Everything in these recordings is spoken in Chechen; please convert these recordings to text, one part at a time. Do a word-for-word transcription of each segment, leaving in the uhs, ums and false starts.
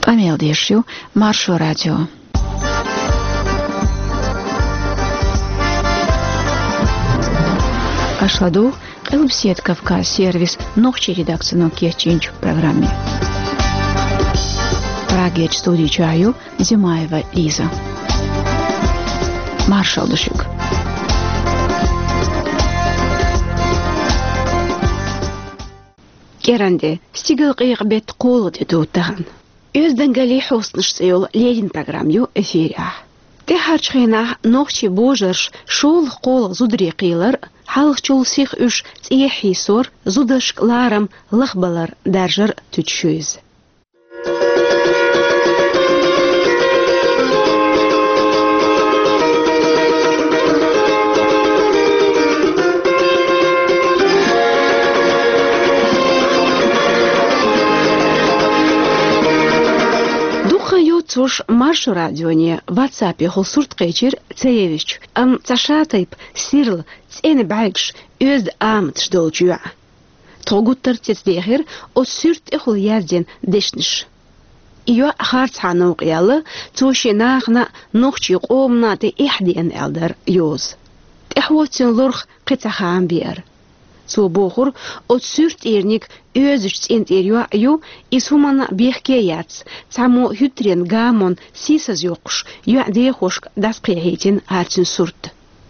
Къамел деш ю Маршо радио. Аша ладугӀу Къилбаседа Кавказ сервисан нохчийн редакцино кечйинчу программе. Прагерчу студи чохь ю Зимаева Лиза. Маршалла ду шуьга. КӀиранде, стигалкъекъа беттан кхоалгӀа де ду тахана. «Оьздангаллин хьостанаш» цӀе йолу леррина программа ю эфирехь. ТӀаьхьарчу хенахь нохчийн божарша шолгӀа кхоалгӀа зударий кхийлар, хьалхачул сиха уьш цӀехьа хьийсор, зударшка ларам лахбалар даржар туьтуш ю иза. Дукха йоццуш Маршо радионе WhatsApp-ехула сурт кхечира ца евзича, амма цхьа шатайпа сирла цӀена бӀаьргаш, оьзда аматаш долчу йоӀа. Тхо гуттар а цецдехира оцу суьрта тӀехула яздина дешнаш. И йоӀ харцхьа новкъа яьлла, цо шен нахана а, нохчийн къомана а тӀе эхь деана аьлла дара йоза. ТӀаьхьо цуьнан лорах кхин цхьа хаам беара. Цо бохура, оцу суьрта тӀерниг оьзучу цӀен тӀера йоӀ ю, иза хӀуманна а бехке яц, цхьаммо хӀуьттаренан гамонна сийсаз йоккхуш, йоьӀан дехошка дӀасакхехьийтина хӀара цуьнан сурт.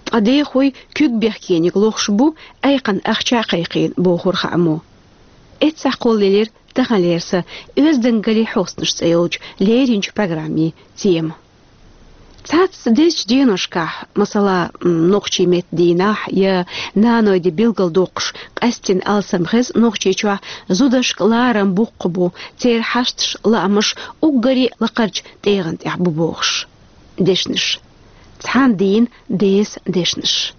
Ткъа дехой куьг бехкениг лохуш бу, айкхана ахча а кхайкхийна, бохура хааммо. Эццахь кхоллаелира таханлера сан «Оьздангаллин хьостанаш» цӀе йолчу лерринчу программин тема. Цхьацца дезачу деношкахь, масала, м, нохчийн меттан дийнахь я нанойн де билгалдоккхуш, къаьсттина алсам хеза Нохчийчохь зударшка ларам боккха бу, церан хьашташ, лаамаш уггаре а лакхарчу тӀегӀан тӀехь бу бохуш. Дешнаш. Цхьана дийнан десан дешнаш.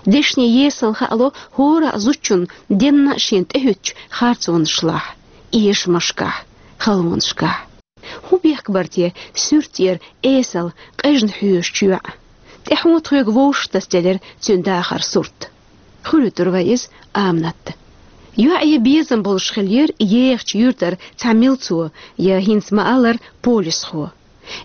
Дешнийн есал хаало хӀора а зудчунна денна а шена тӀехӀуьттучу харцонашлахь, эшамашкахь, халонашкахь. ХӀун бехк бара те суьрта тӀера эсала, къежна хьоьжучу йоӀан? ТӀаьхьо тхоьга вовшахтасаделира цуьнан дахаран сурт. Хуьлуьйтур вай иза Аманатта. ЙоӀ я безам болуш хиллера ехачу юьртара цхьа милцо, я, хӀинца ма-аллара, полисхо.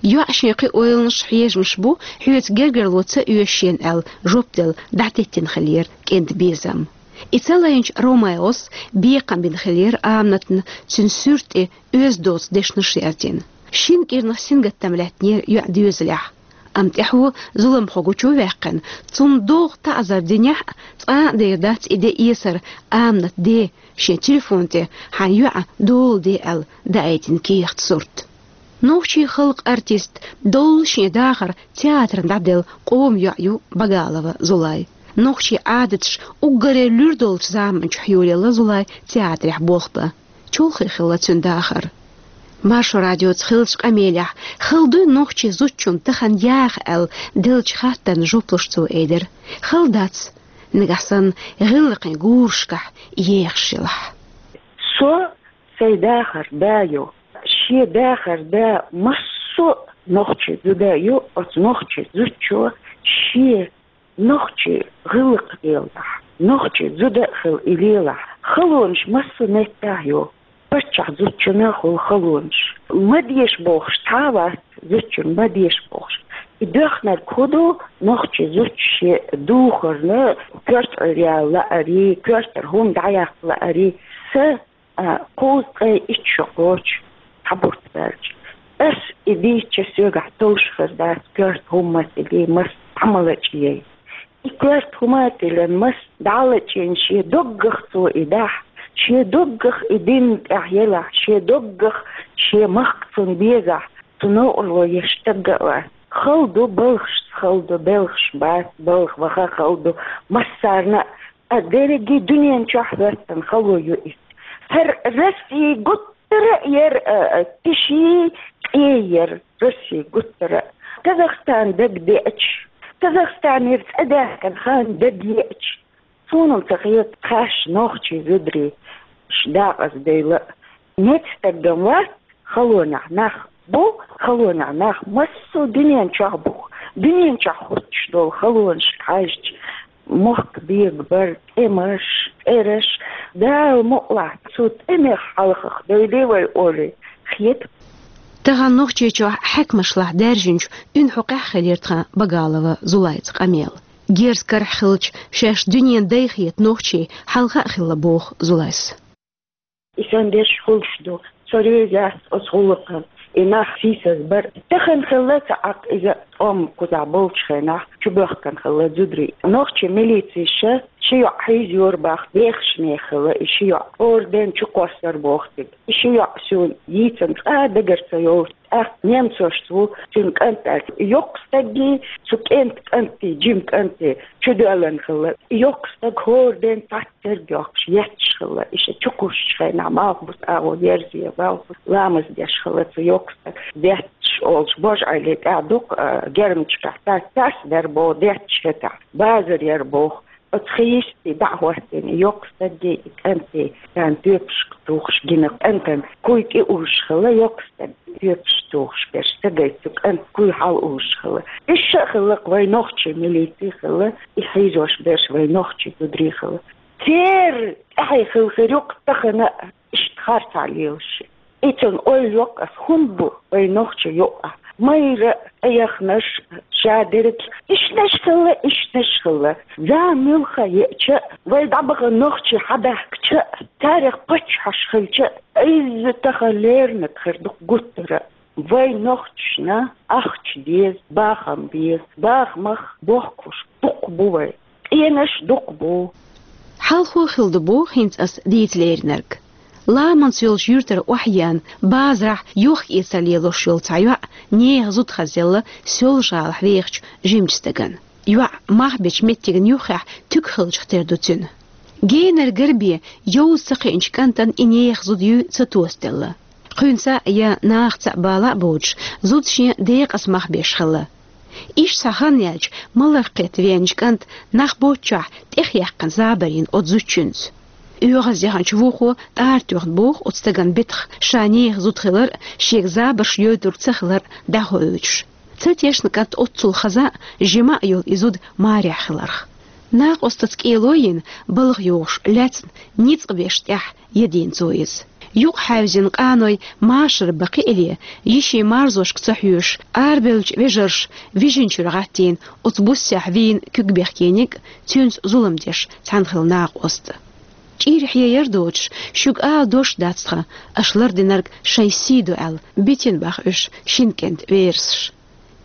ЙоӀ шен кхин ойланаш, хьежамаш бу, хьоьца гергарло ца оьшу шена аьлла жоп делла дӀатеттина хиллера кӀентан безам. И ца лайначу Ромеос бекхам бина хиллера Аманатна, цуьнан суьрта тӀе оьзда доцу дешнаш яздина. Шина кӀирнах сингаттам лаьттинера йоьӀан доьзалехь. Амма тӀаьхьо зуламхо гучу а ваьккхина, цунна догӀу таӀзар динехь а, цкъа а дер дац и де эсар Аманатан ден шен телефон тӀе хьайн йоӀан дола де аьлла даийтина кехат сурт. Нохчийн халкъан артист, доллу шен дахар театрна дӀаделла къоман йоӀ ю Багалова Зулай. Нохчийн Ӏадаташ уггаре луьра долчу заманчохь йолаелла Зулай театрехь болх бан. Чолхе хилла цуьнан дахар. Маршо радиоца хиллачу къамелехь, хала дуй нохчийн зудчунна тахана яха аьлла деллачу хаттарна жоп луш цо элира: «Хала дац, нагахь санна гӀиллакхийн гурашкахь ехаш елахь». Со сайн дахар да ю. Шен дахар да массо а нохчийн зуда ю, оцу нохчийн зудчо шен нохчийн гӀиллакх лелахь, нохчийн зуда а хила и лелахь, халонаш массо а меттехь ю. Паччахь зудчунна хуьлу халонаш. Ма деша бохуш цхьа а вац, зудчунна ма деша бохуш. И доьхнарг хӀун ду, нохчийн зудчо шен духарна коьрта Ӏуьйре яла лаарий, коьртара хӀума дӀаяккха лаарий. Сан а, кхузткъе итт шо кхочу, цхьа бутт баьлча. Ас и дийцча, соьгахь товш хир дац коьрта хӀума ма тилий, мас цхьа ма лачкъаяй. И коьрта хӀума а тиллина, мас дӀа а лачкъийна, шен доггах цо и дахь, шен доггах и дин тӀехь елахь, шен доггах шен махка цунна безахь, цу новкъарло еш стаг а вац. Хала ду, балхашца хала ду, белхаш бац, балха ваха хала ду массарна а. А дерриге дуьнен чохь хӀоьттина хало ю иза. ХӀара Россия гуттара а яра, а, а, тиший, къе яра Россия гуттара а. Казахстан дагадеача, Казахстанера цӀа даьхкина хан дагайеача, суна-м ца хета, тхаьш нохчийн зударий ш-, дакъаза дайла а. Меца стаггам вац, халонехь нах бу, халонехь нах массо а дуьнен чохь бу. Дуьнен чохь хӀуттуш долу халонашка хьаьжча, мохк бегабар, тӀемаш, тӀераш, Дала мукъалахь, цу тӀемех хьалхах дойла вай олий, хета. Тахан Нохчийчохь хьаькамашлахь даьржинчу уьнхьокъехь хилира тхан Багалова Зулайца къамел. Герз карахь хилча, шаьш дуьненан дай хета нохчий хьалха а хилла, боху Зулайс. И сан дерш хуьлуш ду, со реза яц оцу гӀуллакхана, и нах сийсаз бар. Тахана хилла ца Ӏаккха иза, тӀом кхузахь болчу хенахь чубоьхкана хилла зударий. Нохчийн милицеша ши йоӀ хьийзайора боху, бехаш нехан хилла и ши йоӀ. ХӀора ден чукхоссар боху цига. И ши йоӀ суна йийцина цкъа а дагара ца йолуш. ТӀаккха немцошца ву цуьнан кӀант аьлла. Йоккха стаге, цу кӀентан кӀанте, жима кӀанте чудоьллина хилла. Йоккха стаг хӀора ден цхьацца терг йоккхуш, етташ хилла. И ша чукхуссучу хенахь, малхбуса агӀо ерзе, малхбуса ламаз деш хилла цу йоккха стага. Детташ олуш, божа Ӏели тӀехь дукха, а, гермачкахь цаьрца дара боху, детташ хетахь, базар яра боху. Оцу хи йисте дӀа а хӀоттийна, йоккха стаге и кӀанте, царна тоьпашка тухуш гина, кӀантана куй тӀе уллуш хилла, йоккха стаг тоьпаш тухуш берш, стагай цу кӀанта куй хьала уллуш хилла. Уьш а хилла-кх вайн нохчийн милици хилла, и хьийзош берш вайн нохчийн зударий хилла. Церан тӀаьхье хилла хир ю-кх тахана а, иштта харцахь лелаш. И цунна ойла йо-кх ас, хӀунда бу вайн нохчийн юкъахь майра а, тӀеяхнарш а, ша дерг а. Ишттанаш хилла, ишттанаш хилла. Зама муьлхха еача а, вай дӀабахана нохчий хьабаьхкича а, царех паччахьаш хилча а, изза тахана леринарг хир ду-кх гуттара а. Вай нохчашна ахча деза, бахам беза, бахамах бохкуш дукха бу вай. Къенаш дукха бу. Хьалхо хилла ду боху хӀинца ас дийца леринарг. Ламанца йолчу юьртара охьаеана, базарахь йохка-эцар лелош йолу цхьа йоӀ нехан зуда хазъелла Соьлжа-ГӀалахь вехачу жимачу стагана. ЙоӀ мах бечу меттигна юххехь туька хиллачух тера ду цуьнан. Генара гарбе йовза ца кхиъначу кӀантана и нехан зуда юй ца тосаделла. Кхуьнца а я нахаца а бала а боцуш, зуда шен декъаза мах беш хилла. Иштта цхьа хан яьлча, маларх кхетта веанчу кӀанта нах боцчохь тӀехъяьккхина забар йина оцу зудчуьнца. ОьгӀазъяхначу вукхо тӀара тоьхна боху оцу стагана битах, ша нехан зуда хилар а, шега забарш йойтург ца хилар а дӀахоуьйтуш. Ца тешна кӀант оццул хаза а, жима а йолу и зуда марехь хиларх. Накъостаца кӀело йина, балха йогӀуш лаьцна, ницкъ беш тӀехь ядийна цо иза. Юкъахьаьвзина къаной машар бан кхиале, йишин марзошка ца хьоьжуш, арабевллачу вежарша вижинчуьра гӀаттийна, оцу буссехь вийна куьг бехкениг а, цуьнца зулам деш цхьаьна хилла накъост а. ЧӀир хьеяр доцуш, шуьга ала дош дац тхан, аша лардинарг шайн сий ду аьлла, битина баха уьш шина кӀентан верасаш.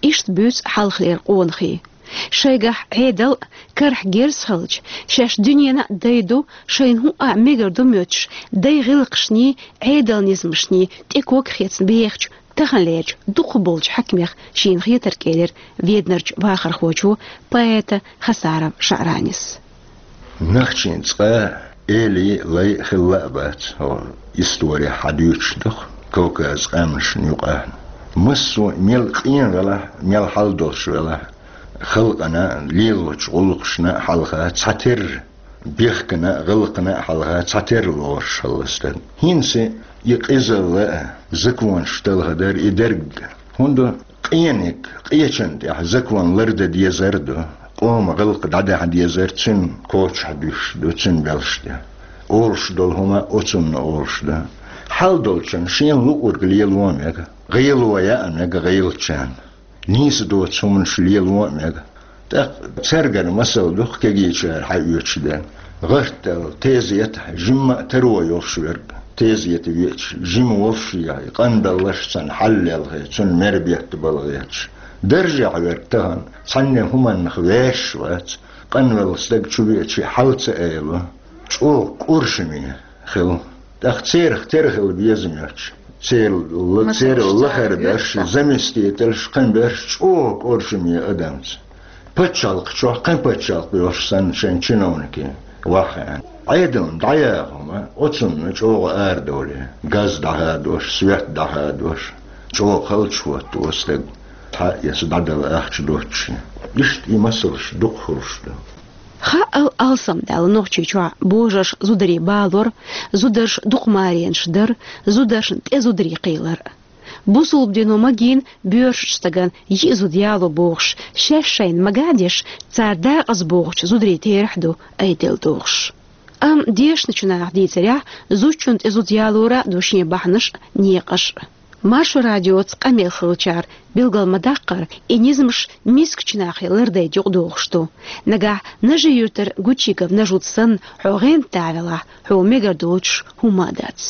Иштта буьйцу хьалхалера къонахий. Шайгахь Ӏедал а, карахь герз хилча, шаьш дуьненан а дай ду, шайна хӀуъа а мегар ду моьттуш, дай гӀиллакхашний, Ӏедалан низамашний тӀе ког хецна бехачу, таханлерачу дукхахболчу хьаькамех шена хетарг элира Веданарчу вахархочо, поэта Хасаров ШаӀранис. Нохчийн цкъа а эли а, лай а хилла а бац, хӀокху историхь хьадуьйцуш ду-кх Кавказан къаьмнашна юкъахь. Массо а мел къен велахь, мел хьал долуш велахь, халкъана а, лелочу гӀуллакхашна а хьалха цхьатерра, бехкана а, гӀиллакхана а хьалха цхьатерра лоруш хилла стаг. ХӀинца и къизалла а, законаш талхадар, и дерг а. ХӀунда? Къениг, къечан тӀехь закон лардан дезар а ду, къоман гӀиллакх дӀадаха дезар, цуьнан кочахь дуьсуш ду, цуьнан белш тӀе. Олуш долу хӀума оцунна олуш ду. Хьал долчунна шена луург лело а мега, гӀело яа а мега гӀелачарна. Нийса доцу хӀуманаш лело а мега. ТӀаккха цаьргара масал ду-кх кегийчара хьаоьцуш дерг. ГӀарт аьлла, тезетахь жимма а таро йолуш верг, тезета веача, жима волуш а, и къанбелларш царна хьаллелхий, цунна мер бетта балхеташ. Даржехь верг тахана цхьанне хӀуманнах ваьшаш вац, къанвелла стаг чувеача хьал ца айало, чӀогӀа кӀоршаме хилла. ТӀаккха церах тера хила безам йоцуш, церан ла-, церан лахара берш, заместителаш, кхин берш чӀогӀа кӀоршаме адамца. Пачхьалкх чохь кхин пачхьалкх йолуш санна шайн чиновникийн ваххаьана. Ӏедална дӀаяха хӀума, оцунна чӀогӀа арадовлий, газ дӀахадош, свет дӀахадош, чӀогӀа халчахӀотто стаг, цхьа эца дӀадала ахча доццушехь. Иштта и масалш дукха хуьлуш ду. Хаал алсамдаьлла Нохчийчохь божарша зударий балор, зударша дукха маренаш дар, зударшна тӀе зударий кхийлар. Бусулба дино магийна боьршачу стагана йиъ зуда яло бохуш, шаьш шайна мага а деш, цара декъаза богӀучу зударийн терахь ду айделла дохуш. Амма дешначу наха дийцарехь, зудчунна тӀе зуда ялора а ду шен бахьанаш а, некъаш а. Маршо радиоца къамел хилчара билгал ма даккхара, и низамаш мискачу нахе лардайта юкъадохуш ду. Нагахь Нажи-Юьртара Гучигов Нажуд санна хьо гӀенда дӀавелахь, хьо мегар доцуш хӀума а дац.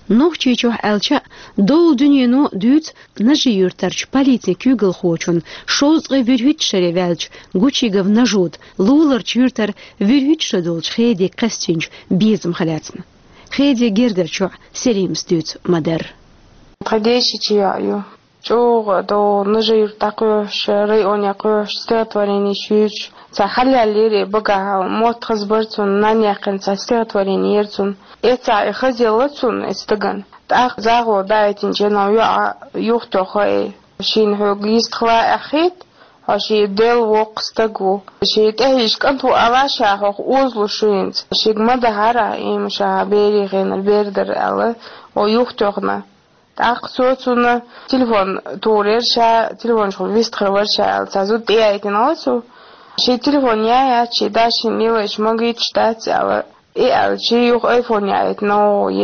Нохчийчохь аьлча а, долу дуьнено дуьйцу Нажи-Юьртарчу полицин куьйгалхочун шовзткъе вуьрхӀитта шаре ваьллачу Гучигов Нажуда луларчу юьртара вуьрхӀитта шо долчу Хедига кхаьстинчу безамах лаьцна. Хеди гергара чохь Селимас дуьйцу ма-дарра. Тхан дешича йоӀ ю. ЧӀогӀа а догӀу Нажи-Юьрта дӀакхоьхьуш, районе кхоьхьуш, стихотворенеш юьйцуш. Цхьа хьалаьллера и багахь, мотт хаза бара цунна, нанна яьккхина цхьа стихотворени яра цунна. Эццахь и хазъелла цунна, и стагана. ТӀаккха загӀо даийтинчу хенахь йоӀа юхатоьхна и: «Шена хьоьга йистхила аьххийта, хьо шен Делла воккха стаг ву. Шен тӀехьийза кӀант ву ала ша хьох озалуш ю хӀинца. Шега ма дахьара, и ма ша берийн хенара бер дара», — аьлла, о юхатоьхна. ТӀаккха цо цунна телефон тухур яра ша, телефончухула вистхир вара ша аьлла, цхьа зуда тӀеяйтина цо. Шен телефон яй яц, шен дашин лелайча магийташ дац аьлла. И аьлча, юха айфон яйтина,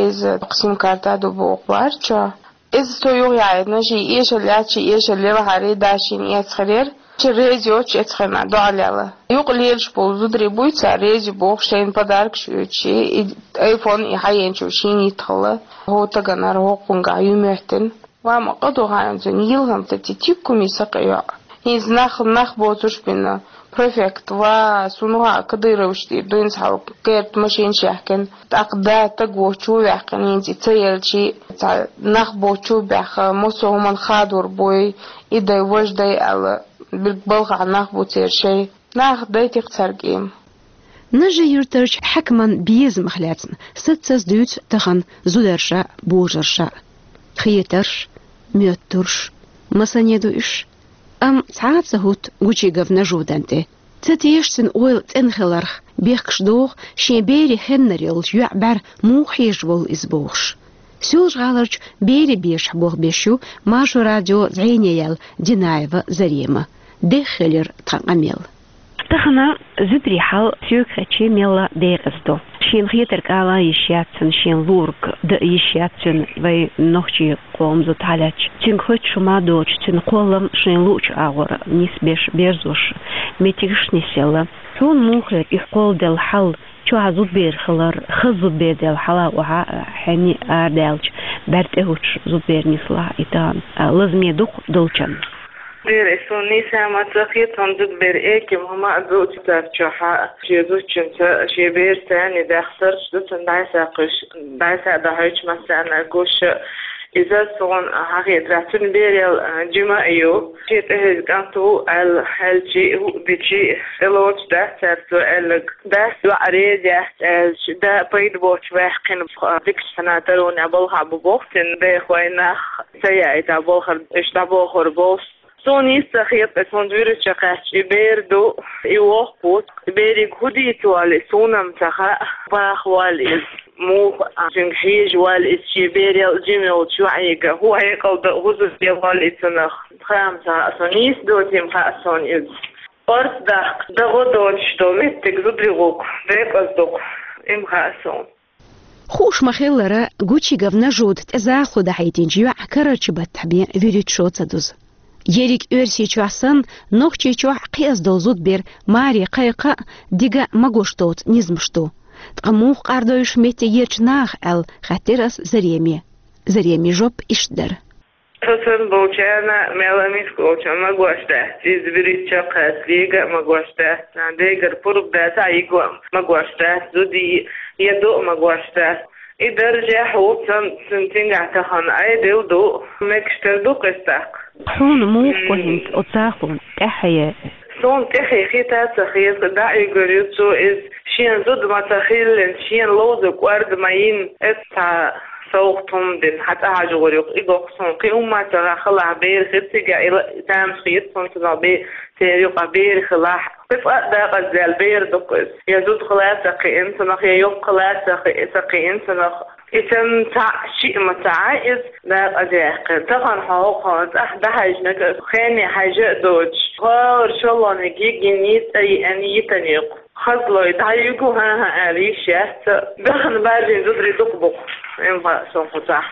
еза сим-карта ду боху ларчо. Иза цо юха яйтина, шен эшалла яц, шен эшалла лелахьара, дашин эцхир яра. Шен реза йоцуш эцхирна доӀа лела. Юкъа лелаш болу зударий буй цара реза боху шайна подаркаш оьцуш, и айфон и хьаенчу шен йиттахалла. ХӀокху таганара хӀокхунгахь ю моьттина. Ва ма къа ду хьайна цуьнан йилханца ти тиккуми сакъа йоӀ. ХӀинца нах, нах боцурш бина. Префект ва, суна ва Кадырович тӀера дуьйна цхьа керта машинаш яьхкина. ТӀаккха да таг воцчу ваьккхина, хӀинца и ца елчи, цхьа нах боцчу баьхна, массо хӀуманна хадор буй, и дай, важа дай аьлла, билг балхахь нах бу церан шай. Нах дайтих цаьрга и. Нажи-Юьртарчу хьаькаман безамах лаьцна саццаза дуьйцу тахана зударша а, божарша а. Хетарш, моьттурш, масане ду уьш. Амма цхьа а ца хӀутту Гучигов Нажудан тӀе. Ца теша цуьнан ойла цӀена хиларх, бехкаш доху шен берийн хеннара йолчу йоӀан бӀаьра муха хьежаш волу иза бохуш. Соьлжа-ГӀаларчу берийн бешахь болх беш ю Маршо радион зӀене яьлла Динаева Зарема. Дехха хилира тхан къамел. Тахана зударийн хьал соьга хетча мелла декъаза ду. Шена хетарг ала йиш яц цуьнан, шена луург дан йиш яц цуьнан вай нохчийн къоман зуда хьалаьцча. Цуьнга хоьттуш хӀума доцуш, цуьнан кхоллам шайна луучу агӀор нисбеш, берзош, меттигаш нисъелла. Хьуна муха хета и кхолладелла хьал, чохь зудбер хилар, хаза зудбер делла хьала охьа, хьенни арадаьлча, бӀаьрг тӀе хӀуттуш зудбер нислахь и тахана, а, лазаме ду-кх долчунна? Бер, и суна нийса ма ца хета, хӀунда зудбер эким хӀума а ду царчохь, шен зудчуьнца, шен берца царна дахсарш ду цунна дӀасакхуьйсуш, дӀаса а дахьуьйтуш массарна а гуш. Иза суна хьахетарехь, цуьнан берал, а, жима а ю. Шен тӀехьийза кӀант ву аьлла, аьлчи, хӀуъа дичи, тӀелоцуш дац цара цо аьлларг. Дас йоӀ реза яц аьлча, да пайда боцуш ваьккхина, дикачу хьуна таронехь балхахь бу боху цуьнан дайхой, нах ца яийтахь балхара уьш дӀабохур болуш. Суна нийса ца хета, хӀунда вуьрачу кхаьчча и бер ду, и воккха ву. Берига хӀун дийца волу и, суна-м ца хаьа, баха волу иза, муха а, цуьнга хьежа волу иза, шен берал жима йолчу йоӀига хӀун хьекъал дан, хӀун зуда де волу и цунах, хаа-м ца хаьа суна, нийса доций-м хаьа суна иза. Орца дахка, дагӀо доцуш долу меттиг зударий гӀуллакх декъаза ду-кх, и-м хаьа суна. Хууш ма-хиллара, Гучигов Нажуда тӀе захало дахьийтинчу йоӀан карарчу баттахь бен вуьрхӀитта шо ца дузу. Ерриг Оьрсийчохь санна, Нохчийчохь кхиаза долу зудбер маре кхайкха а, дика а магош доцу низамаш ду. Ткъа муха къардойуш меттиг ерчу наха аьлла, хаьттира ас Зареме. Заремин жоп иштта дара. Со санна болчарна, мел а миска волчарна магош дац, иза вуьрхӀитта шо кхаьчча, йига а магош дац, царна дегара пурба дац, а йига а магош дац, зуда я ду а магош дац. И даржехь ву цан-, цуьнан цигахь тахана Ӏедал ду, мегаш тера ду-кх иза тӀаккха. Хьуна муха го хӀинца оцу захалонна тӀаьхье? Суна тӀаьхье хета а ца хета, дӀа а уьгур ю цо иза, шена зуда ма ца хиллина, шена ловзарг кӀорда ма йина, эцца цхьа совгӀат хӀума дина, хьан цӀа хьажа гӀур ю-кх, и го-кх суна, кхин хӀумма ца хаьа, халахь бер хир цигахь, и ла-, тамаш хета суна цунах бе-, церан юкъахь бер хилахь. Кхин цкъа а дакъаздаьлла бер ду-кх иза. Я зуда хила а ца кхиъна цунах, я йоккха хила а ца кхи-, ца кхиъна цунах. И царна цхьаъ, шиъ ма ца Ӏа иза дакъазъяьккхина. Тахана хьо хӀокхунна цӀахь дӀахьаьжнарг хене хьаьжа а доцуш, хӀора шолгӀаниг йигина, цӀа йиъна йитина ю-кх. Хазлой дӀаюьгу, хӀан-хӀа аьлла йиш яц. Дахана баьржина зударий дукха бу-кх, и-м хаьа суна кху цӀахь.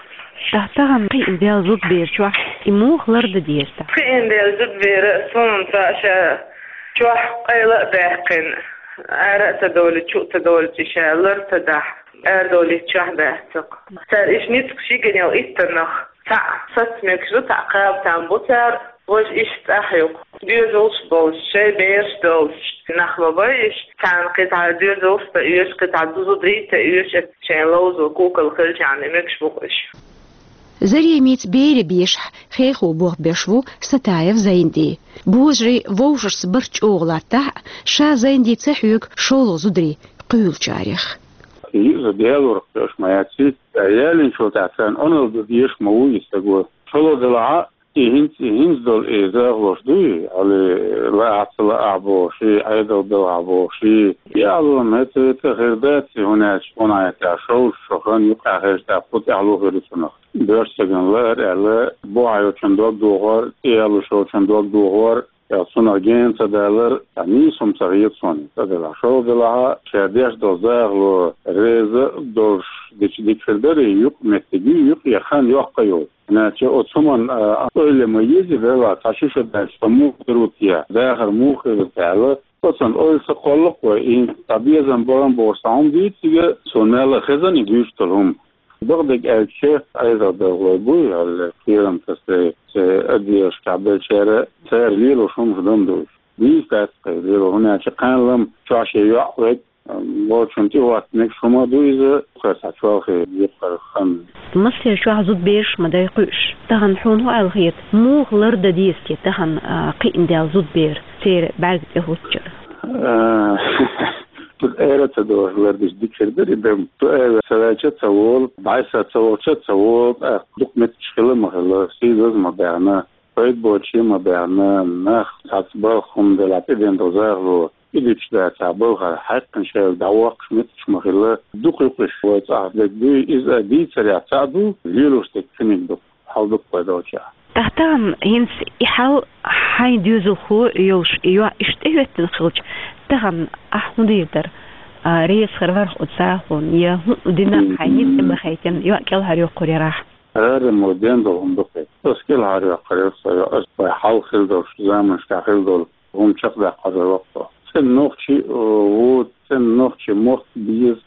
Тахана кхиъна даьлла зудабер чохь и муха лардан деза? Кхиъна даьлла зудабер суна цхьа ша чохь къайла а баьккхина, ара а ца довлий, чу а ца довлий, ша лар ца дахь, арадовлийта чохь баьхцакх. Цара иштта ницкъ шиганел иттаннах, цхьаъ саца мегаш ду, цхьаъ кхаба там бу цара, важа иштта цӀахь юкъ. Доьзалш болуш, шайн бераш долуш, нах ма бай иштта, царна кхин цхьа доьзалш ца оьшу, кхин цхьа зударий ца оьшу, шайн ловзо кукал хилчарна мегаш бу-кх уьш. Заремица берийн бешахь хехо болх беш ву Сатаев Зайнди. Божарий вовшашца барт чӀогӀа латтахь а, ша Зайнди ца хьоьгу шолгӀа зударий кхуьйлучарех. Иза Делора кхоьш ма яц, ялийначул тӀаьхьа царна Ӏуналла дан дезаш ма ву и стаг. ШолгӀа делахь а, и хӀинца, и хӀинца долу и захалош дуй, хьали лаахь ца лаахь бохуш, Ӏедал белхьахь бохуш, и Ӏалам хӀета-хӀета хир дац, и хӀун аьлча, хӀун аьлча, шовзткъа шо хан юкъахь хезча, тӀаккха кху тӀаьхьало хир ю цунах. Боьрша стагана лаар аьлла, бухахь йолчун дог дохор, тӀе ялуш йолчун дог дохор, я цунах гена ца далар, я нийса хӀума ца хета суна. Цхьа делахь, шолгӀа делахь, ша деш долу захало реза долуш дича дика хир дарий, юкъаметтиг ю, юкъе хан йоккха йолу. Иначе оцу хӀуманна, а, ойла ма еза, вела, цхьа ши шо даьлча, со муха хир ву те, дахар муха хир ву те аьлла, оцунна ойла ца кхоллакх вай, и цхьа безам бахана бохуш цхьа хӀума дийца цига, суна мелла а хезна и дуьйцуш долу хӀума. Бакъдерг аьлча, Ӏедал белхалой буй, аьлла, кхерам тасале, церан аддешкахь беллачара, цара лелош хӀумаш дан ду уьш. Дийца дац-кх и лело, хӀунда аьлча кханаллам чохь шен йоӀ вег, волчунна тӀехӀотта мегаш хӀума ду иза, кхоьру цхьа чолхе юккъера хан. Массеран чохь зудабераш ма дай кхуьуш. Тахана хьуна хӀун аьлла хета, муха лардан деза те тахана кхиъна даьлла зудабер, церан бӀаьрга тӀе хӀуттучара? А, Цу ара ца дохуш лардича дика хир дара и дам. Цу ара ца ваьлча а ца волу, дӀасса ца вахча а ца волу, тӀаккха дукха меттигаш хила а ма хилла, сийсаз а ма баьхна, пайда боцуш а ма баьхна, нах цхьацца балха хӀума делахь тӀеден долу захало, и дуьтуш дацахь балхара хьаькхна шайга дӀавоккхуш меттигаш ма хилла, дукха юкъаш вай цӀахь дерг дуй, иза а дийцарехь цхьаъ ду, лелош дерг цуьниг ду. Хьал дукха вай долчохь. Тахана хӀинца и хьал хьайн доьзалхо йолуш, и йоӀ иштта тӀехӀоьттина хилча, тахана ахь хӀун дийр дара? А, реза хир вара хьо оцу захалонна, я хӀун дина хьайн ницкъ тӀе ма хайтина, йоӀ кӀелхьарйоккхур ярахь? Ара мо ден долу хӀума ду-кх и. Ас кӀелхьарйоккхур яра со йоӀ, ас вай хьалха хилла долуш, заманашкахь хилла долу хӀума чекхдаккхар вара воккхо. ЦӀена нохчи, э, ву, цӀена нохчи мотт беза,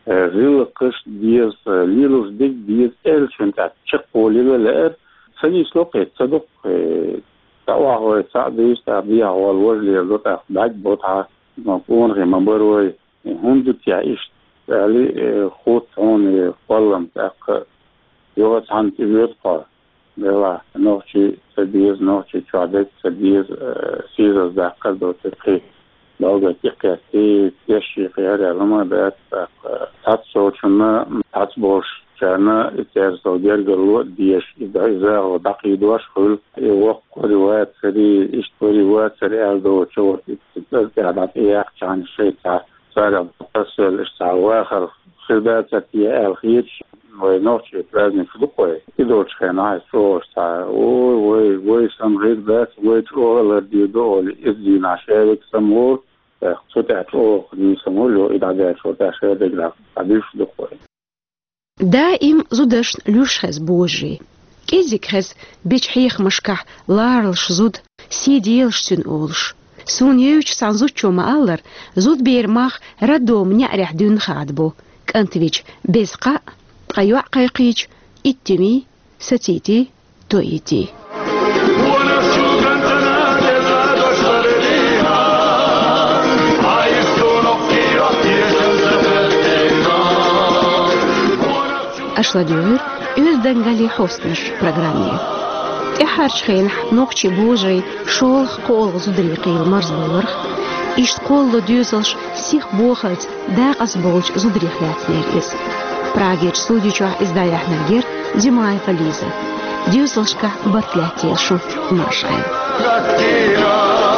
э, гӀиллакхаш деза, лелош дерг деза, аьллачун тӀехь чекхволийла лаьара, ца нисло-кх и, ца дукха, э, цхьа охьавой, цхьаъ дуьйцу, тӀаккха дехьа гӀолла важа леладо, тӀаккха бӀаьрг бо тхьа, ма къонахий ма бара вай, э, хӀунда ду те иштта, аьлла, э, хӀутту хьуна, э, кхоллам тӀаккха. Юха цхьаьна тӀе воьду хьо. Делахь, нохчий ца беза, нохчий чохь дерг ца беза, э, сийсаз даккхар доцург кхин. Балгат тӀекхетти, тешший кхиара аьлла ма дац, тӀаккха, э, цхьацца волчунна, цхьацца болчарна и церан сол гергарло а дезаш, и да-, и захало дӀакхийдош а хуьлу, и воккха вари вацари, иштта вари вацари аьлла доцуш, вот, и, и, и, тӀе дӀатӀеяьккхачхьана шайца царах тасавелла иштта цхьа вахар хир дацара те аьлла хеташ, вай нохчийн праздникаш ду-кх вай. И долчу хенахь иза чӀогӀа цхьа, ой, вай, вай санна хир дац, вай чӀогӀа лардийр ду олий, иза дийнахь шаверг самаволу, тӀаккха цу тӀехь чӀогӀа нийса самаволу, и дӀадаьллачул тӀаьхьа шадерг дӀа-, дӀадуьйш ду-кх вай. Даим зудашна луьйш хеза божарий. КӀеззиг хеза бечу хьехамашкахь ларалаш зуда, сий делаш цуьнан олуш. Суна евзачу цхьана зудчо ма-аллара, зудберан мах роддоман неӀарехь дуьйна хадабо, кӀант вича беза кхаъ, ткъа йоӀ кхайкхийча, иттанний, сацийтий, тоитий. Аша ладуьйгӀира «Оьздангаллин хьостанаш» программе. ТӀаьххьарчу хенахь нохчийн божарийн шолгӀа, кхоалгӀа зударий кхийлла марзбаларх, иштта кхоллало доьзалш сиха бохалц дакъаза болчу зударех лаьцнера иза. Прагерчу студи чохь иза дӀаяьхьнарг яра Димаева Лиза. Доьзалшкахь барт лаьттийла шун, марша Ӏойла.